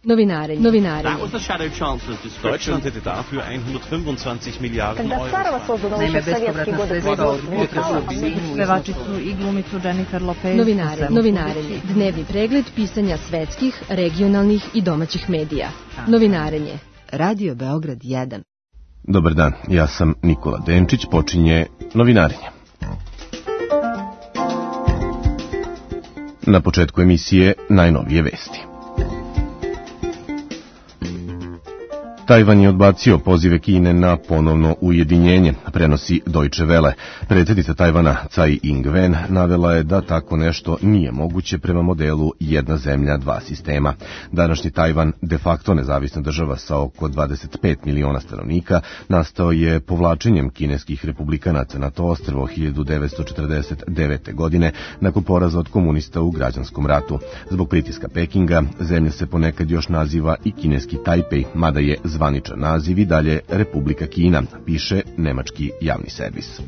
Novinarenje. Deutschland hätte dafür 125 Miliarden Euro. Naime, bespovratna sredstva od budžeta su obezbeđuju pevačicu i glumicu Jennifer Lopez. Novinarenje. Dnevni pregled pisanja svetskih, regionalnih i domaćih medija. Novinarenje. Radio Beograd 1. Dobar dan, ja sam Nikola Denčić, počinje Novinarenje. Na početku emisije najnovije vesti. Tajvan je odbacio pozive Kine na ponovno ujedinjenje, prenosi Deutsche Welle. Predsjednica Tajvana Tsai Ing-wen navela je da tako nešto nije moguće prema modelu jedna zemlja, dva sistema. Današnji Tajvan, de facto nezavisna država sa oko 25 miliona stanovnika, nastao je povlačenjem kineskih republikanaca na to ostrvo 1949. godine nakon poraza od komunista u građanskom ratu. Zbog pritiska Pekinga, zemlja se ponekad još naziva i kineski Tajpej, mada je zvaničan naziv i dalje Republika Kina, piše nemački javni servis.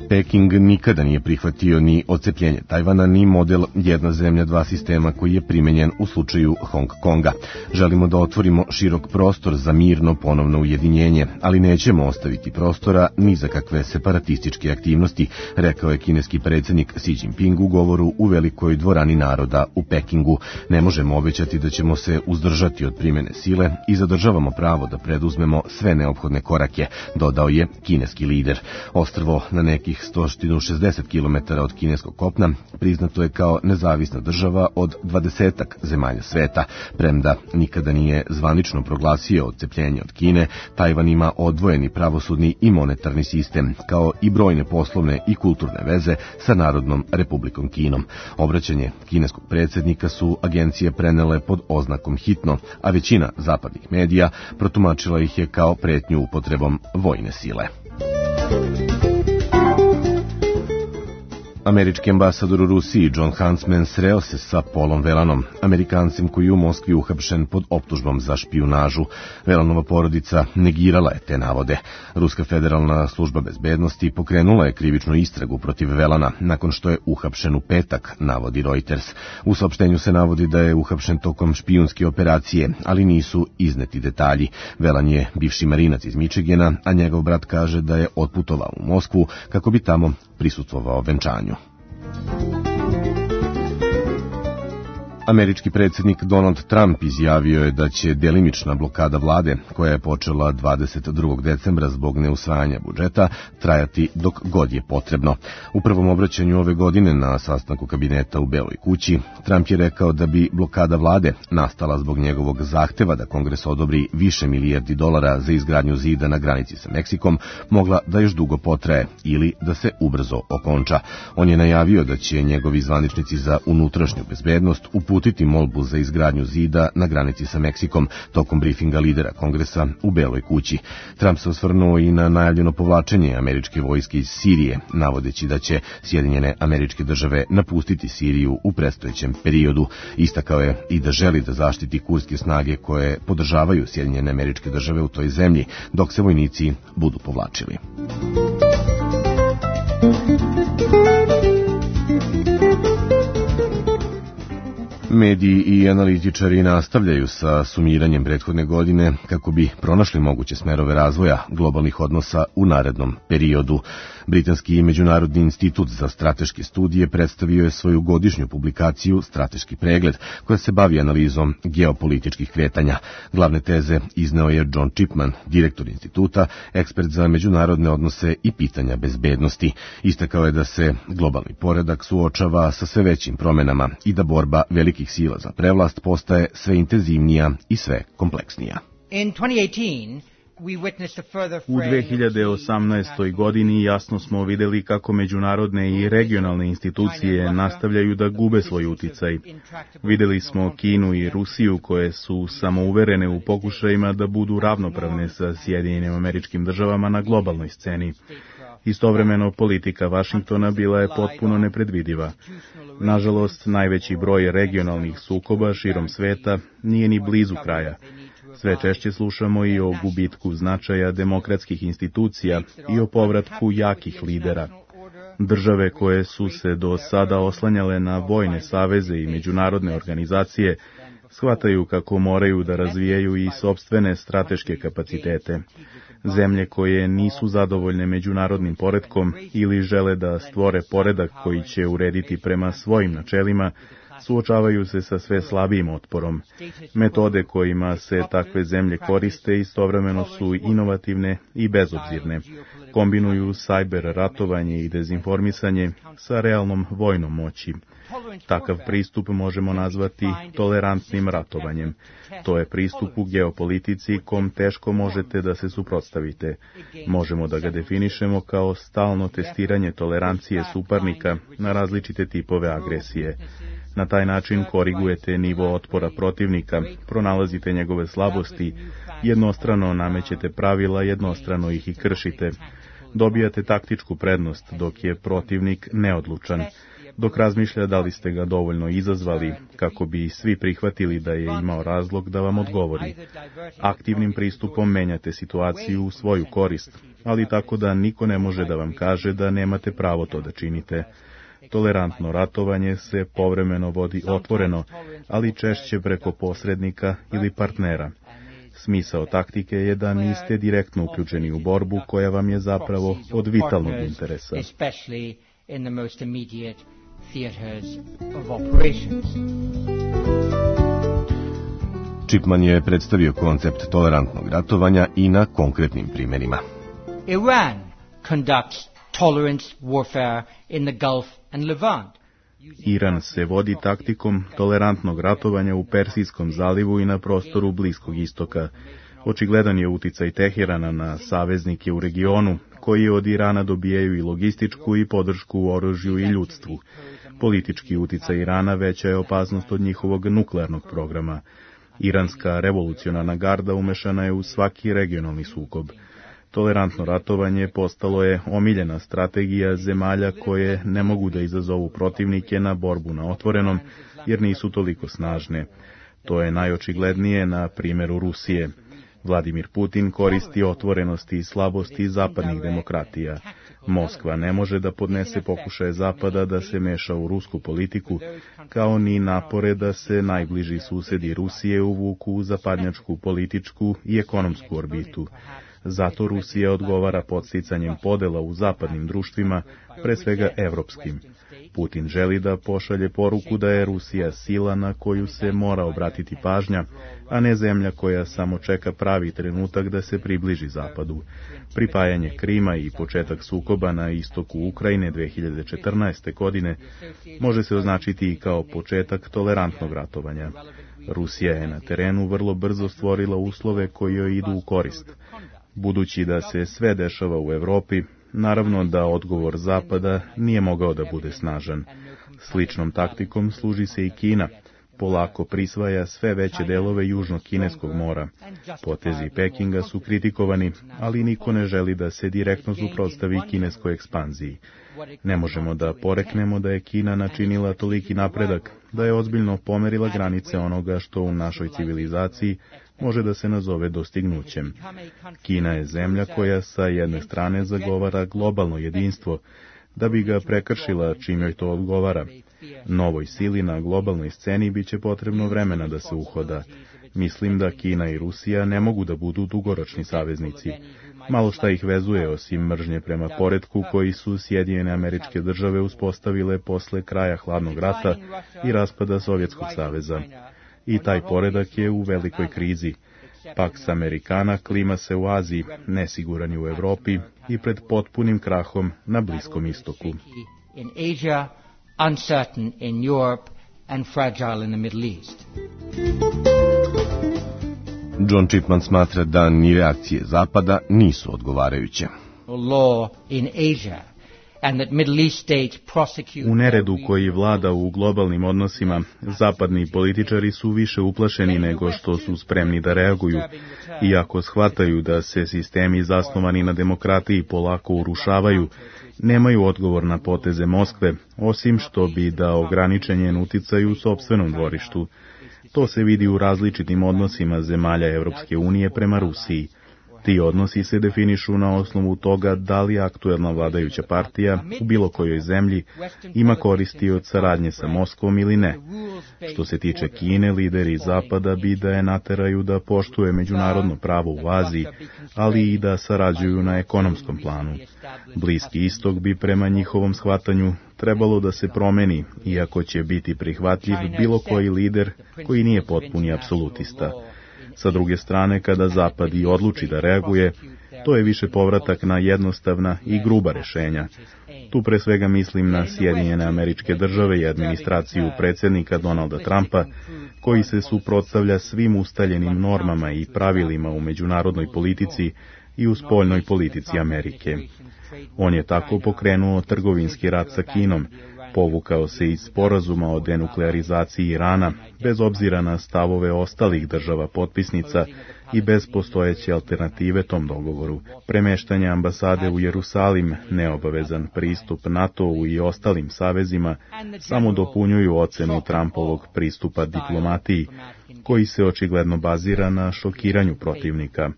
Peking nikada nije prihvatio ni odcepljenje Tajvana, ni model jedna zemlja, dva sistema koji je primenjen u slučaju Hong Konga. Želimo da otvorimo širok prostor za mirno ponovno ujedinjenje, ali nećemo ostaviti prostora ni za kakve separatističke aktivnosti, rekao je kineski predsjednik Xi Jinping u govoru u Velikoj dvorani naroda u Pekingu. Ne možemo obećati da ćemo se uzdržati od primjene sile i zadržavamo pravo da preduzmemo sve neophodne korake, dodao je kineski lider. Ostrvo na nekih 160 km od kineskog kopna priznato je kao nezavisna država od 20-ak zemalja sveta. Premda nikada nije zvanično proglasio odcepljenje od Kine, Tajvan ima odvojeni pravosudni i monetarni sistem, kao i brojne poslovne i kulturne veze sa Narodnom Republikom Kinom. Obraćanje kineskog predsjednika su agencije prenele pod oznakom hitno, a većina zapadnih medija protumačila ih je kao pretnju upotrebom vojne sile. Američki ambasador u Rusiji John Huntsman sreo se sa Paulom Whelanom, Amerikancem koji je u Moskvi uhapšen pod optužbom za špijunažu. Whelanova porodica negirala je te navode. Ruska federalna služba bezbednosti pokrenula je krivičnu istragu protiv Whelana nakon što je uhapšen u petak, navodi Reuters. U saopštenju se navodi da je uhapšen tokom špijunske operacije, ali nisu izneti detalji. Whelan je bivši marinac iz Michigana, a njegov brat kaže da je otputovao u Moskvu kako bi tamo prisustvovao venčanju. Američki predsjednik Donald Trump izjavio je da će delimična blokada vlade, koja je počela 22. decembra zbog neusvajanja budžeta, trajati dok god je potrebno. U prvom obraćanju ove godine na sastanku kabineta u Beloj kući, Trump je rekao da bi blokada vlade nastala zbog njegovog zahteva da Kongres odobri više milijardi dolara za izgradnju zida na granici sa Meksikom, mogla da još dugo potraje ili da se ubrzo okonča. On je najavio da će njegovi zvaničnici za unutrašnju bezbednost uputiti molbu za izgradnju zida na granici sa Meksikom tokom brifinga lidera Kongresa u Beloj kući. Trump se osvrnuo i na najavljeno povlačenje američke vojske iz Sirije, navodeći da će Sjedinjene Američke Države napustiti Siriju u predstojećem periodu. Istakao je i da želi da zaštiti kurske snage koje podržavaju Sjedinjene Američke Države u toj zemlji, dok se vojnici budu povlačili. Mediji i analitičari nastavljaju sa sumiranjem prethodne godine kako bi pronašli moguće smerove razvoja globalnih odnosa u narednom periodu. Britanski Međunarodni institut za strateške studije predstavio je svoju godišnju publikaciju Strateški pregled, koja se bavi analizom geopolitičkih kretanja. Glavne teze izneo je John Chipman, direktor instituta, ekspert za međunarodne odnose i pitanja bezbednosti. Istakao je da se globalni poredak suočava sa sve većim promenama i da borba velikih sila za prevlast postaje sve intenzivnija i sve kompleksnija. U 2018. godini jasno smo vidjeli kako međunarodne i regionalne institucije nastavljaju da gube svoj uticaj. Vidjeli smo Kinu i Rusiju koje su samouverene u pokušajima da budu ravnopravne sa Sjedinjenim Američkim Državama na globalnoj sceni. Istovremeno, politika Vašingtona bila je potpuno nepredvidiva. Nažalost, najveći broj regionalnih sukoba širom sveta nije ni blizu kraja. Sve češće slušamo i o gubitku značaja demokratskih institucija i o povratku jakih lidera. Države koje su se do sada oslanjale na vojne saveze i međunarodne organizacije shvataju kako moraju da razvijaju i sopstvene strateške kapacitete. Zemlje koje nisu zadovoljne međunarodnim poretkom ili žele da stvore poredak koji će urediti prema svojim načelima, suočavaju se sa sve slabijim otporom. Metode kojima se takve zemlje koriste istovremeno su inovativne i bezobzirne. Kombinuju sajber ratovanje i dezinformisanje sa realnom vojnom moći. Takav pristup možemo nazvati tolerantnim ratovanjem. To je pristup u geopolitici kom teško možete da se suprotstavite. Možemo da ga definišemo kao stalno testiranje tolerancije suparnika na različite tipove agresije. Na taj način korigujete nivo otpora protivnika, pronalazite njegove slabosti, jednostrano namećete pravila, jednostrano ih i kršite. Dobijate taktičku prednost dok je protivnik neodlučan, dok razmišlja da li ste ga dovoljno izazvali kako bi svi prihvatili da je imao razlog da vam odgovori. Aktivnim pristupom menjate situaciju u svoju korist, ali tako da niko ne može da vam kaže da nemate pravo to da činite. Tolerantno ratovanje se povremeno vodi otvoreno, ali češće preko posrednika ili partnera. Smisao taktike je da niste direktno uključeni u borbu koja vam je zapravo od vitalnog interesa. Chipman je predstavio koncept tolerantnog ratovanja i na konkretnim primjerima. Iran conducts tolerance warfare in the Gulf and Levant. Iran se vodi taktikom tolerantnog ratovanja u Persijskom zalivu i na prostoru Bliskog istoka. Očigledan je uticaj Teherana na saveznike u regionu, koji od Irana dobijaju i logističku i podršku u oružju i ljudstvu. Politički uticaj Irana veća je opasnost od njihovog nuklearnog programa. Iranska revolucionarna garda umešana je u svaki regionalni sukob. Tolerantno ratovanje postalo je omiljena strategija zemalja koje ne mogu da izazovu protivnike na borbu na otvorenom, jer nisu toliko snažne. To je najočiglednije na primjeru Rusije. Vladimir Putin koristi otvorenosti i slabosti zapadnih demokratija. Moskva ne može da podnese pokušaje Zapada da se meša u rusku politiku, kao ni napore da se najbliži susedi Rusije uvuku u zapadnjačku političku i ekonomsku orbitu. Zato Rusija odgovara podsticanjem podela u zapadnim društvima, pre svega evropskim. Putin želi da pošalje poruku da je Rusija sila na koju se mora obratiti pažnja, a ne zemlja koja samo čeka pravi trenutak da se približi Zapadu. Pripajanje Krima i početak sukoba na istoku Ukrajine 2014. godine može se označiti i kao početak tolerantnog ratovanja. Rusija je na terenu vrlo brzo stvorila uslove koji joj idu u korist. Budući da se sve dešava u Evropi, naravno da odgovor Zapada nije mogao da bude snažan. Sličnom taktikom služi se i Kina. Polako prisvaja sve veće delove Južnog kineskog mora. Potezi Pekinga su kritikovani, ali niko ne želi da se direktno suprotstavi kineskoj ekspanziji. Ne možemo da poreknemo da je Kina načinila toliki napredak, da je ozbiljno pomerila granice onoga što u našoj civilizaciji može da se nazove dostignućem. Kina je zemlja koja sa jedne strane zagovara globalno jedinstvo, da bi ga prekršila čim joj to odgovara. Novoj sili na globalnoj sceni biće potrebno vremena da se uhoda. Mislim da Kina i Rusija ne mogu da budu dugoročni saveznici. Malo šta ih vezuje osim mržnje prema poretku koji su Sjedinjene Američke Države uspostavile posle kraja hladnog rata i raspada Sovjetskog saveza. I taj poredak je u velikoj krizi. Pax Americana klima se u Aziji, nesiguran je u Evropi i pred potpunim krahom na Bliskom istoku. In Asia, uncertain in Europe and fragile in the Middle East. John Chipman smatra da ni reakcije Zapada nisu odgovarajuće. Law in Asia. U neredu koji vlada u globalnim odnosima, zapadni političari su više uplašeni nego što su spremni da reaguju, iako shvataju da se sistemi zasnovani na demokratiji polako urušavaju, nemaju odgovor na poteze Moskve, osim što bi dao ograničen njen uticaj u sopstvenom dvorištu. To se vidi u različitim odnosima zemalja Evropske unije prema Rusiji. Ti odnosi se definišu na osnovu toga da li aktuelna vladajuća partija u bilo kojoj zemlji ima koristi od saradnje sa Moskvom ili ne. Što se tiče Kine, lideri Zapada bi da je nateraju da poštuje međunarodno pravo u Aziji, ali i da sarađuju na ekonomskom planu. Bliski istok bi prema njihovom shvatanju trebalo da se promeni, iako će biti prihvatljiv bilo koji lider koji nije potpuni apsolutista. Sa druge strane, kada Zapad i odluči da reaguje, to je više povratak na jednostavna i gruba rešenja. Tu pre svega mislim na Sjedinjene Američke Države i administraciju predsjednika Donalda Trumpa, koji se suprotstavlja svim ustaljenim normama i pravilima u međunarodnoj politici i u spoljnoj politici Amerike. On je tako pokrenuo trgovinski rat sa Kinom, povukao se iz sporazuma o denuklearizaciji Irana, bez obzira na stavove ostalih država potpisnica i bez postojeće alternative tom dogovoru. Premeštanje ambasade u Jerusalim, neobavezan pristup NATO-u i ostalim savezima samo dopunjuju ocenu Trumpovog pristupa diplomatiji, koji se očigledno bazira na šokiranju protivnika.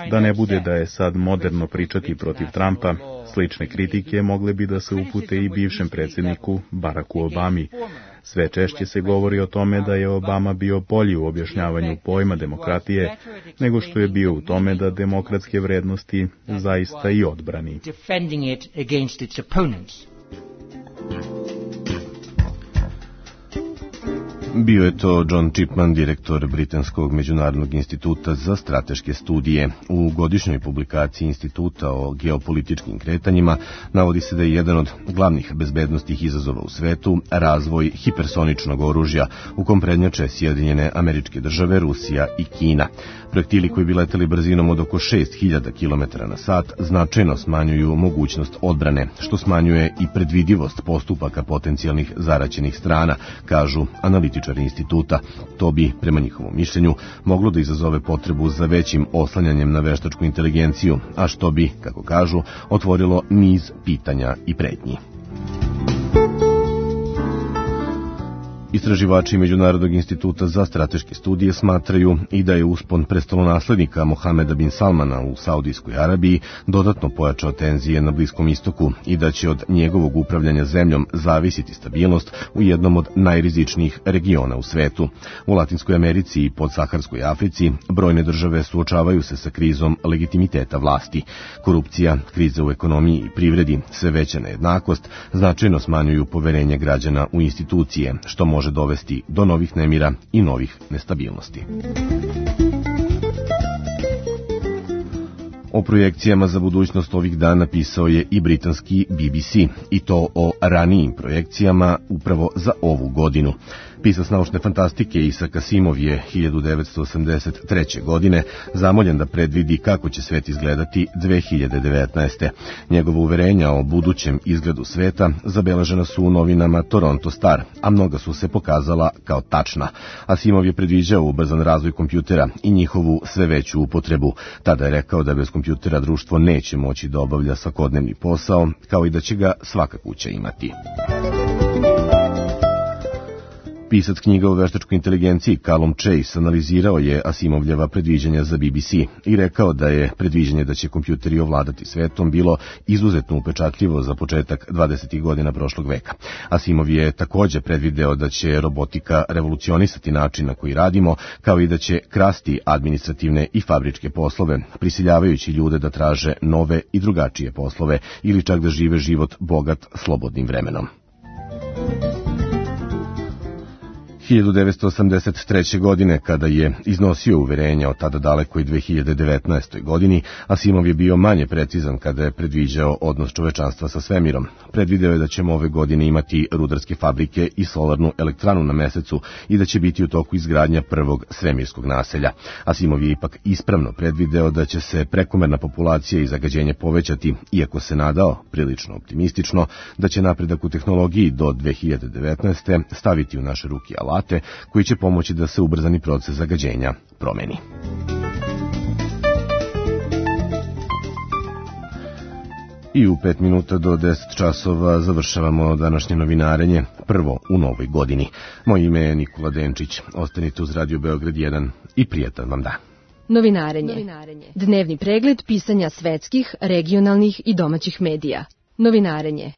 Da ne bude da je sad moderno pričati protiv Trumpa, slične kritike mogle bi da se upute i bivšem predsjedniku Baracku Obami. Sve češće se govori o tome da je Obama bio bolji u objašnjavanju pojma demokratije nego što je bio u tome da demokratske vrednosti zaista i odbrani. Bio je to John Chipman, direktor Britanskog međunarodnog instituta za strateške studije. U godišnjoj publikaciji instituta o geopolitičkim kretanjima navodi se da je jedan od glavnih bezbednostnih izazova u svetu razvoj hipersoničnog oružja, u kom prednjače Sjedinjene Američke Države, Rusija i Kina. Projektili koji bi leteli brzinom od oko 6000 km na sat značajno smanjuju mogućnost odbrane, što smanjuje i predvidivost postupaka potencijalnih zaraćenih strana, kažu analitičari instituta. To bi, prema njihovom mišljenju, moglo da izazove potrebu za većim oslanjanjem na veštačku inteligenciju, a što bi, kako kažu, otvorilo niz pitanja i pretnji. Istraživači Međunarodnog instituta za strateške studije smatraju i da je uspon prestolonaslednika Mohameda bin Salmana u Saudijskoj Arabiji dodatno pojačao tenzije na Bliskom istoku i da će od njegovog upravljanja zemljom zavisiti stabilnost u jednom od najrizičnijih regiona u svetu. U Latinskoj Americi i podsaharskoj Africi brojne države suočavaju se sa krizom legitimiteta vlasti. Korupcija, kriza u ekonomiji i privredi, sve veća nejednakost značajno smanjuju poverenje građana u institucije, što može dovesti do novih nemira i novih nestabilnosti. O projekcijama za budućnost ovih dana pisao je i britanski BBC, i to o ranijim projekcijama upravo za ovu godinu. Pisac naučne fantastike Isaac Asimov je 1983. godine zamoljen da predvidi kako će svet izgledati 2019. Njegova uverenja o budućem izgledu sveta zabeležena su u novinama Toronto Star, a mnoga su se pokazala kao tačna. Asimov je predviđao ubrzan razvoj kompjutera i njihovu sve veću upotrebu. Tada je rekao da bez kompjutera društvo neće moći da obavlja svakodnevni posao, kao i da će ga svaka kuća imati. Pisac knjiga o veštačkoj inteligenciji Callum Chase analizirao je Asimovljeva predviđanja za BBC i rekao da je predviđanje da će kompjuteri ovladati svetom bilo izuzetno upečatljivo za početak 20. godina prošlog veka. Asimov je također predvideo da će robotika revolucionisati način na koji radimo, kao i da će krasti administrativne i fabričke poslove, prisiljavajući ljude da traže nove i drugačije poslove ili čak da žive život bogat slobodnim vremenom. 1983. godine, kada je iznosio uverenja o tada dalekoj 2019. godini, Asimov je bio manje precizan kada je predviđao odnos čovečanstva sa svemirom. Predvideo je da ćemo ove godine imati rudarske fabrike i solarnu elektranu na mesecu i da će biti u toku izgradnja prvog svemirskog naselja. Asimov je ipak ispravno predvideo da će se prekomerna populacija i zagađenje povećati, iako se nadao, prilično optimistično, da će napredak u tehnologiji do 2019. staviti u naše ruke alate koji će pomoći da se ubrzani proces zagađenja promeni. I u 5 minuta do 10 časova završavamo današnje novinarenje, prvo u novoj godini. Moje ime je Nikola Denčić. Ostanite uz Radio Beograd 1 i prijatan vam dan. Novinarenje. Dnevni pregled pisanja svetskih, regionalnih i domaćih medija. Novinarenje.